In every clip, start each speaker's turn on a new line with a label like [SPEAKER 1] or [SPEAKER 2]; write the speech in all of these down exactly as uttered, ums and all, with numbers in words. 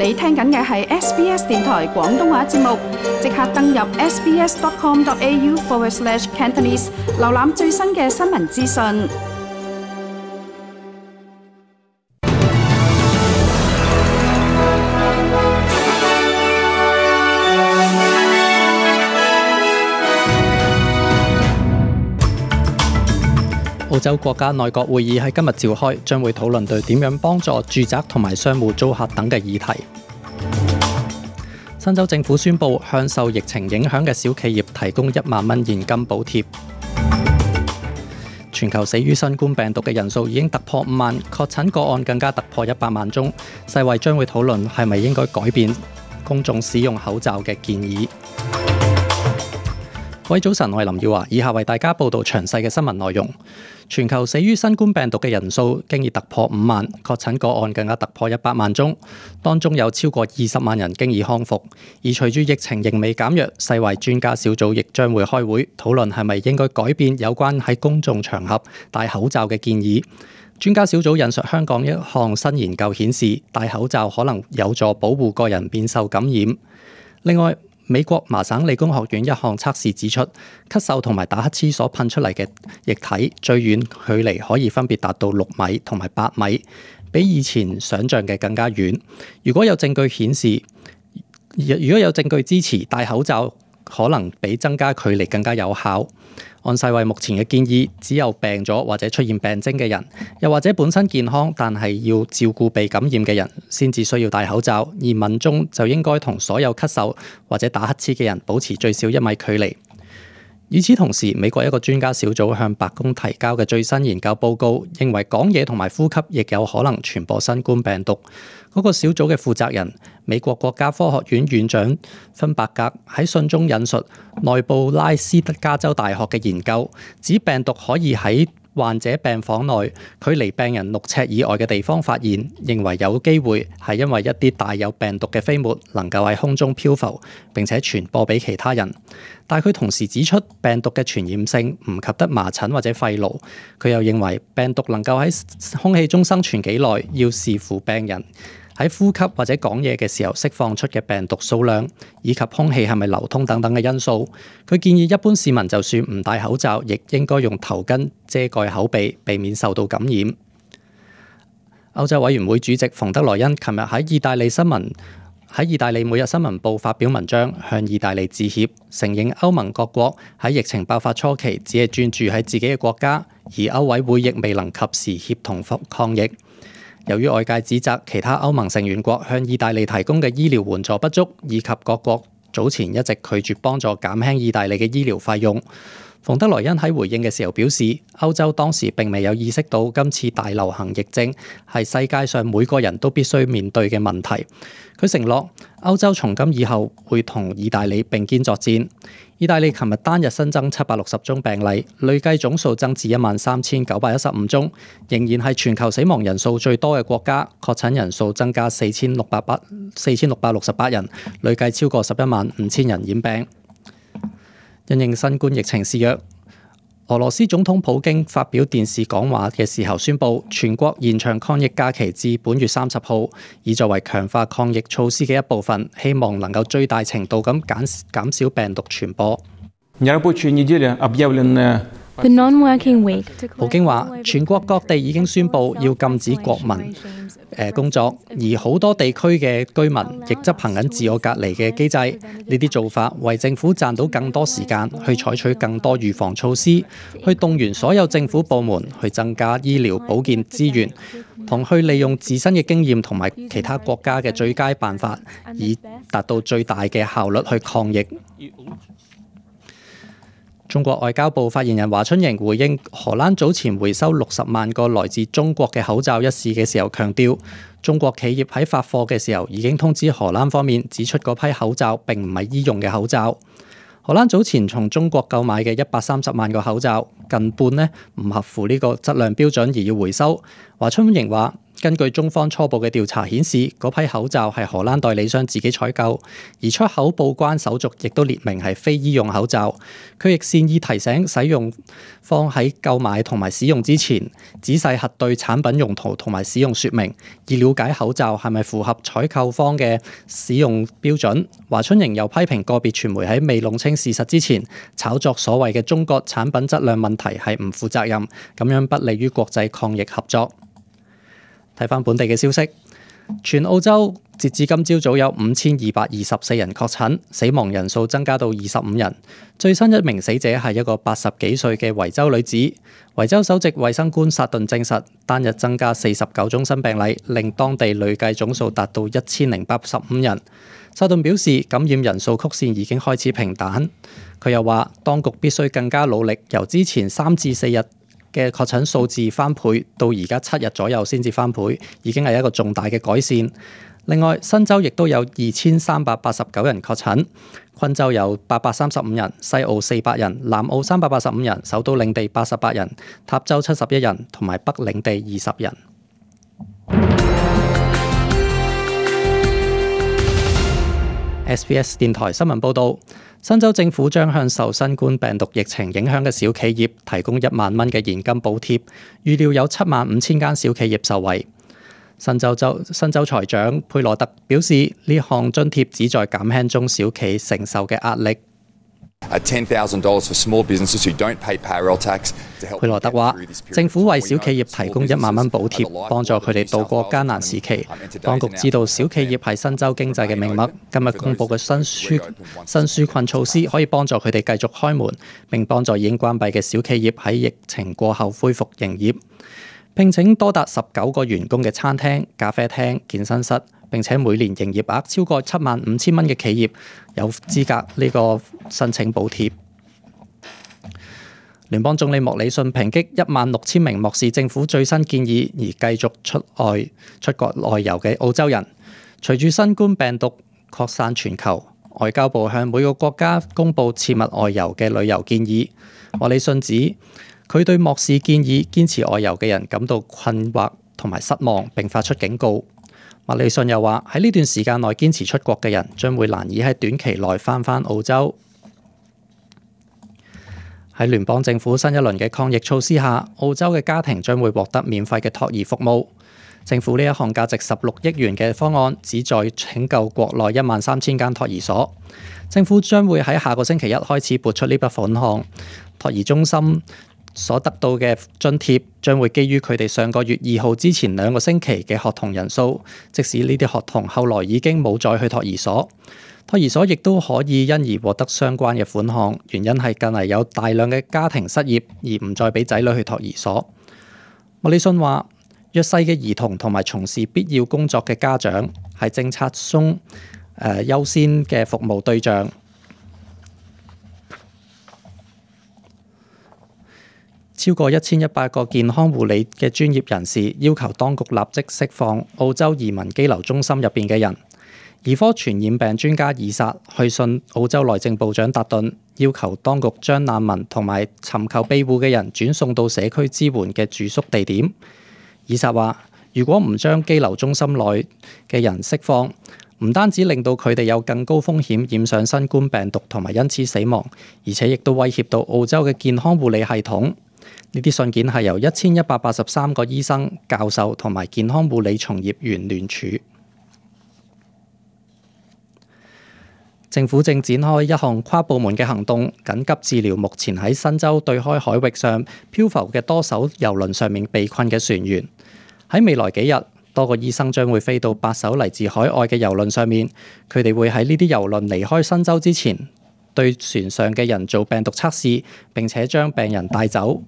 [SPEAKER 1] 你聽緊嘅係 S B S 電台廣東話節目，即刻登入 sbs.com.au forward slash Cantonese， 瀏覽最新嘅新聞資訊。
[SPEAKER 2] 澳洲國家內閣會議喺今日召開，將會討論對點樣幫助住宅同埋商戶租客等嘅議題。新州政府宣布向受疫情影響嘅小企業提供一萬蚊現金補貼。全球死於新冠病毒嘅人數已經突破五萬，確診個案更加突破一百萬宗。世衛將會討論係咪應該改變公眾使用口罩嘅建議。各位早晨，我係林耀華，以下為大家報道詳細嘅新聞內容。全球死於新冠病毒嘅人數經已突破五萬，確診個案更加突破一百萬宗，當中有超過二十萬人經已康復。而隨住疫情仍未減弱，世衛專家小組亦將會開會討論係咪應該改變有關喺公眾場合戴口罩嘅建議。專家小組引述香港一項新研究顯示，戴口罩可能有助保護個人免受感染。另外，美國麻省理工學院一項測試指出，咳嗽同埋打乞嗤所噴出嚟嘅液體最遠距離可以分別達到六米同埋八米，比以前想像嘅更加遠。如果有證據顯示，如果有證據支持戴口罩可能比增加距離更加有效。按世衛目前嘅建議，只有病咗或者出現病徵嘅人，又或者本身健康但係要照顧被感染嘅人，先至需要戴口罩。而民眾就應該同所有咳嗽或者打乞嗤嘅人保持最少一米距離。與此同時，美國一個專家小組向白宮提交嘅最新研究報告，認為講嘢同埋呼吸亦有可能傳播新冠病毒。嗰、那個小組嘅負責人，美國國家科學院院長芬伯格喺信中引述內布拉斯加州大學嘅研究，指病毒可以喺患者病房內距離病人六尺以外嘅地方發現，認為有機會係因為一啲帶有病毒嘅飛沫能夠喺空中漂浮並且傳播俾其他人。但佢同時指出，病毒嘅傳染性唔及得麻疹或者肺癆。佢又認為病毒能夠喺空氣中生存幾耐，要視乎病人喺呼吸或者講嘢嘅時候釋放出嘅病毒數量，以及空氣係咪流通等等嘅因素。佢建議一般市民就算唔戴口罩，亦應該用頭巾遮蓋口鼻，避免受到感染。歐洲委員會主席馮德萊恩琴日喺意大利新聞喺意大利每日新聞報發表文章，向意大利致歉，承認歐盟各國喺疫情爆發初期只係專注喺自己嘅國家，而歐委會亦未能及時協同抗疫。由於外界指責其他歐盟成員國向意大利提供嘅醫療援助不足，以及各國早前一直拒絕幫助減輕意大利嘅醫療費用，馮德萊恩喺回應嘅時候表示，歐洲當時並未有意識到今次大流行疫症係世界上每個人都必須面對嘅問題。佢承諾歐洲從今以後會同意大利並肩作戰。意大利琴日單日新增七百六十宗病例，累計總數增至一萬三千九百一十五宗，仍然係全球死亡人數最多嘅國家。確診人數增加四千六百八四千六百六十八人，累計超過十一萬五千人染病。因應新冠疫情肆虐，俄羅斯總統普京發表電視講話嘅時候宣布，全國延長抗疫假期至本月三十號，以作為強化抗疫措施嘅一部分，希望能夠最大程度咁減減少病毒傳播。
[SPEAKER 3] The non-working week.
[SPEAKER 2] 普京話，全國各地已經宣布要禁止國民誒工作，而好多地區嘅居民亦執行緊自我隔離嘅機制。呢啲做法為政府賺到更多時間，去採取更多預防措施，去動員所有政府部門去增加醫療保健資源，同去利用自身嘅經驗同埋其他國家嘅最佳辦法，以達到最大嘅效率去抗疫。中國外交部發言人華春瑩回應荷蘭早前回收六十萬個來自中國嘅口罩一事嘅時候，強調中國企業喺發貨嘅時候已經通知荷蘭方面，指出嗰批口罩並唔係醫用嘅口罩。荷蘭早前從中國購買嘅一百三十萬個口罩，近半呢唔合乎呢個質量標準而要回收。華春瑩話，根據中方初步嘅調查顯示，嗰批口罩係荷蘭代理商自己採購，而出口報關手續亦都列明係非醫用口罩。佢亦善意提醒使用方喺購買同埋使用之前，仔細核對產品用途同埋使用說明，以了解口罩係咪符合採購方嘅使用標準。華春瑩又批評個別傳媒喺未弄清事實之前，炒作所謂嘅中國產品質量問題係唔負責任，咁樣不利於國際抗疫合作。睇返本地嘅消息，全澳洲截至今朝早有五千二百二十四人確診，死亡人數增加到二十五人。最新一名死者係一個八十幾歲嘅維州女子。維州首席衛生官薩頓證實，單日增加四十九宗新病例，令當地累計總數達到一千零八十五人。薩頓表示，感染人數曲線已經開始平坦。佢又話，當局必須更加努力，由之前三至四日嘅確診數字翻倍到而家七日左右先至翻倍，已經係一個重大嘅改善。另外，新州亦都有二千三百八十九人確診，昆州有八百三十五人，西澳四百人，南澳三百八十五人，首都領地八十八人，塔州七十一人，同埋北領地二十人。S B S 電台新聞報導，新州政府將向受新冠病毒疫情影響嘅小企業提供一萬蚊嘅現金補貼，預料有七萬五千間小企業受惠。新州州新州財長佩羅特表示，呢項津貼旨在減輕中小企承受嘅壓力。佩羅特話，政府為小企業提供一萬蚊補貼，幫助佢哋渡過艱難時期。當局知道小企業係新州經濟嘅命脈，今日公佈嘅新紓新紓困措施可以幫助佢哋繼續開門，並幫助已經關閉嘅小企業喺疫情過後恢復營業。聘請多達十九個員工嘅餐廳、咖啡廳、健身室，並且每年營業額超過七萬五千蚊嘅企業有資格呢個申請補貼。聯邦總理莫里遜抨擊一萬六千名漠視政府最新建議而繼續出外出國外遊嘅澳洲人。隨住新冠病毒擴散全球，外交部向每個國家公佈切勿外遊嘅旅遊建議。莫里遜指，佢對漠視建議、堅持外遊嘅人感到困惑同埋失望，並發出警告。莫里遜又話，喺呢段時間內堅持出國嘅人將會難以喺短期內返返澳洲。喺聯邦政府新一輪嘅抗疫措施下，澳洲嘅家庭將會獲得免費嘅托兒服務。政府呢一項價值十六億元嘅方案，旨在拯救國內一萬三千間托兒所。政府將會喺下個星期一開始撥出呢筆款項。托兒中心所得到嘅津貼將會基於佢哋上個月二號之前兩個星期嘅學童人數，即使呢啲學童後來已經冇再去托兒所，托兒所亦都可以因而獲得相關嘅款項。原因係近嚟有大量嘅家庭失業而唔再俾仔女去托兒所。莫里遜話，弱勢嘅兒童同埋從事必要工作嘅家長係政策中誒、呃、優先嘅服務對象。超過一千一百個健康護理嘅專業人士要求當局立即釋放澳洲移民羈留中心入邊嘅人。兒科傳染病專家以撒去信澳洲內政部長達頓，要求當局將難民同埋尋求庇護嘅人轉送到社區支援嘅住宿地點。以撒話，如果唔將羈留中心內嘅人釋放，唔單止令到佢哋有更高風險染上新冠病毒同埋因此死亡，而且亦都威脅到澳洲嘅健康護理系統。呢啲信件係由一千一百八十三個醫生、教授同埋健康護理從業員聯署。政府正展開一項跨部門嘅行動，緊急治療目前喺新州對開海域上漂浮嘅多艘郵輪上面被困嘅船員。喺未來幾日，多個醫生將會飛到八艘嚟自海外嘅郵輪上面，佢哋會喺呢啲郵輪離開新州之前，對船上嘅人做病毒測試，並且將病人帶走。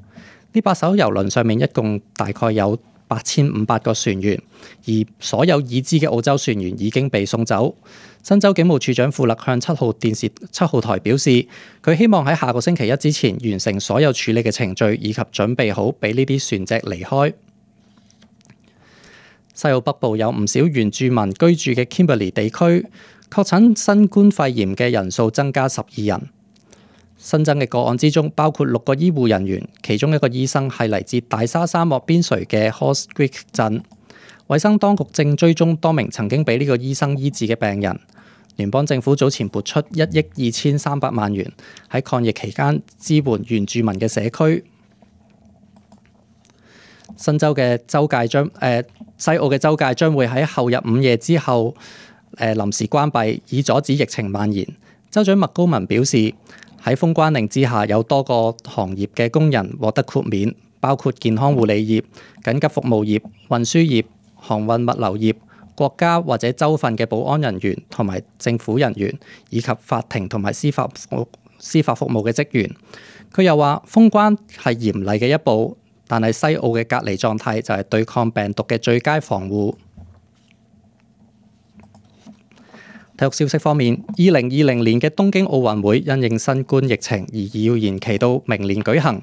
[SPEAKER 2] 呢八艘郵輪上面一共大概有八千五百個船員，而所有已知嘅澳洲船員已經被送走。新州警務處長富勒向七號電視七號台表示，佢希望喺下個星期一之前完成所有處理嘅程序，以及準備好俾呢啲船隻離開。西澳北部有唔少原住民居住嘅 Kimberley 地區，確診新冠肺炎嘅人數增加十二人。新增嘅個案之中，包括六個醫護人員，其中一個醫生係嚟自大沙沙漠邊陲嘅 Horse Creek 鎮。衛生當局正追蹤多名曾經俾呢個醫生醫治嘅病人。聯邦政府早前撥出一億二千三百萬元喺抗疫期間支援原住民嘅社區。新州嘅州界將誒、呃、西澳嘅州界將會喺後日午夜之後誒、呃、臨時關閉，以阻止疫情蔓延。州長麥高文表示，喺封關令之下，有多個行業嘅工人獲得豁免，包括健康護理業、緊急服務業、運輸業、航運物流業、國家或者州份嘅保安人員同埋政府人員，以及法庭同埋司法服司法服務嘅職員。佢又話，封關係嚴厲嘅一步，但係西澳嘅隔離狀態就係對抗病毒嘅最佳防護。體育消息方面，二零二零年嘅東京奧運會因應新冠疫情而要延期到明年舉行。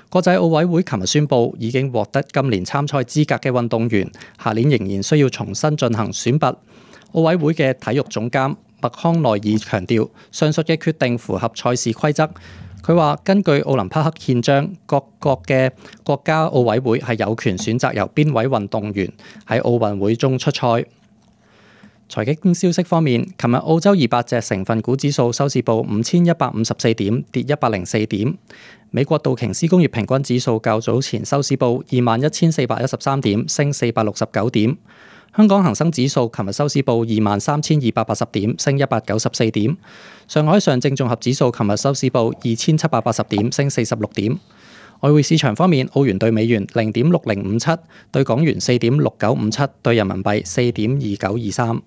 [SPEAKER 2] 國際奧委會琴日宣布，已經獲得今年參賽資格嘅運動員，下年仍然需要重新進行選拔。奧委會嘅體育總監麥康奈爾強調，上述嘅決定符合賽事規則。佢話，根據奧林匹克憲章，各國嘅國家奧委會係有權選擇由邊位運動員喺奧運會中出賽。財經消息方面，琴日澳洲二百隻成分股指數收市報五千一百五十四點，跌一百零四點。美國道瓊斯工業平均指數較早前收市報二萬一千四百一十三點，升四百六十九點。香港恒生指數琴日收市報二萬三千二百八十點，升一百九十四點。上海上證綜合指數琴日收市報二千七百八十點，升四十六點。外匯市場方面，澳元對美元零點六零五七，對港元四點六九五七，對人民幣四點二九二三。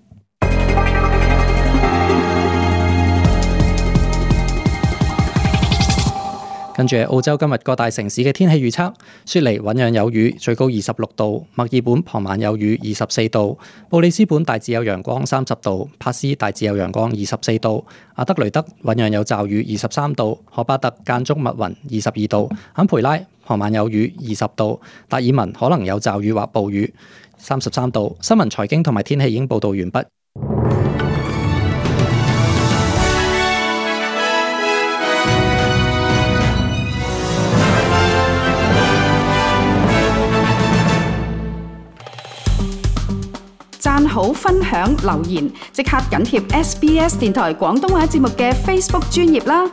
[SPEAKER 2] 跟住澳洲今日各大城市嘅天氣預測：雪梨醞釀有雨，最高二十六度；墨爾本傍晚有雨，二十四度；布里斯本大致有陽光，三十度；帕斯大致有陽光，二十四度；阿德雷德醞釀有驟雨，二十三度；荷巴特間中密雲，二十二度；坎培拉傍晚有雨，二十度；達爾文可能有驟雨或暴雨，三十三度。新聞財經同埋天氣已經報導完畢。
[SPEAKER 1] 讚好、分享、留言，即刻緊貼 S B S 電台廣東話節目嘅 Facebook 專頁啦！